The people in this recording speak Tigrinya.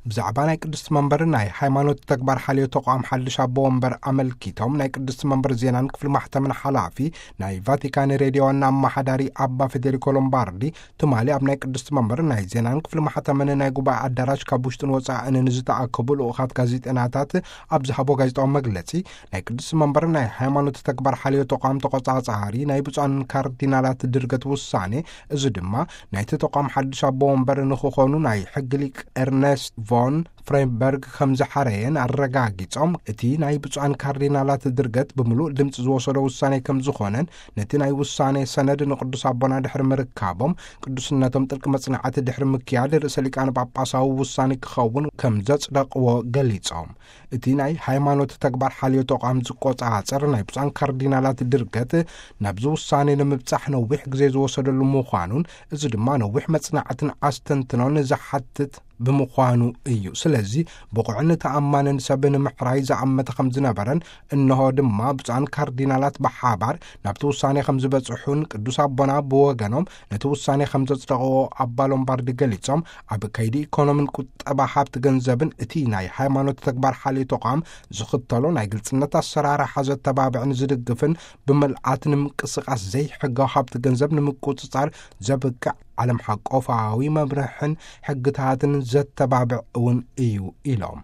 ብዛዕባ ናይ ቅድስቲ መንበር ናይ ሃይማኖት ተግባር ሓልዮ ተቋም ሓድሽ ኣቦ ወንበር ኣመልኪቶም ናይ ቅድስቲ መንበር ዜናን ክፍሊ ማሕተምን ሓላፊ ናይ ቫቲካን ሬድዮ ዋና ኣመሓዳሪ ኣባ ፌዴሪኮ ሎምባርዲ ትማሊ ኣብ ናይ ቅድስቲ መንበር ናይ ዜናን ክፍሊ ማሕተምን ናይ ጉባኤ ኣዳራሽ ካብ ውሽጥን ወፃእን ንዝተኣከቡ ልኡኻት ጋዜጠናታት ኣብ ዝሃቦ ጋዜጣዊ መግለጺ ናይ ቅድስቲ መንበር ናይ ሃይማኖት ተግባር ሓልዮ ተቋም ተቆጻጻሪ ናይ ብፁዓን ካርዲናላት ድርገት ውሳኔ፣ እዚ ድማ ናይቲ ተቋም ሓድሽ ኣቦ ወንበር ንክኾኑ ናይ ሕጊ ሊቅ ኤርነስት ቮን ፍሬንበርግ ከም ዝሓረየን ኣረጋጊጾም፣ እቲ ናይ ብፁዓን ካርዲናላት ድርገት ብምሉእ ድምፂ ዝወሰዶ ውሳኔ ከም ዝኾነን ነቲ ናይ ውሳኔ ሰነድ ንቅዱስ ኣቦና ድሕሪ ምርካቦም ቅዱስነቶም ጥልቂ መጽናዕቲ ድሕሪ ምክያድ ርእሰ ሊቃነ ጳጳሳዊ ውሳኔ ክኸውን ከም ዘጽደቕዎ ገሊጾም። እቲ ናይ ሃይማኖት ተግባር ሓልዮ ተቋም ዝቆጻጸር ናይ ብፁዓን ካርዲናላት ድርገት ናብዚ ውሳኔ ንምብጻሕ ነዊሕ ግዜ ዝወሰደሉ ምዃኑን፣ እዚ ድማ ነዊሕ መጽናዕትን ኣስተንትኖን ዝሓትት ብምዃኑ እዩ። ስለዚ ብቑዕን ተኣማንን ሰብ ንምሕራይ ዝኣመተ ከም ዝነበረን፣ እንሆ ድማ ብፁዓን ካርዲናላት ብሓባር ናብቲ ውሳኔ ከም ዝበጽሑን፣ ቅዱስ ኣቦና ብወገኖም ነቲ ውሳኔ ከም ዘጽደቕዎ ኣባ ሎምባርዲ ገሊጾም፣ ኣብ ከይዲ ኢኮኖምን ቁጠባ ሃብቲ ገንዘብን እቲ ናይ ሃይማኖት ተግባር ሓልዮ ተቋም ዝኽተሎ ናይ ግልጽነት ኣሰራርሓ ዘተባብዕን ዝድግፍን፣ ብምልኣት ንምንቅስቃስ ዘይሕጋዊ ሃብቲ ገንዘብ ንምቁጽጻር ዘብቅዕ ዓለም ሓቆፋዊ መምርሕን ሕግታትን ዘተባብዕ እውን እዩ ኢሎም።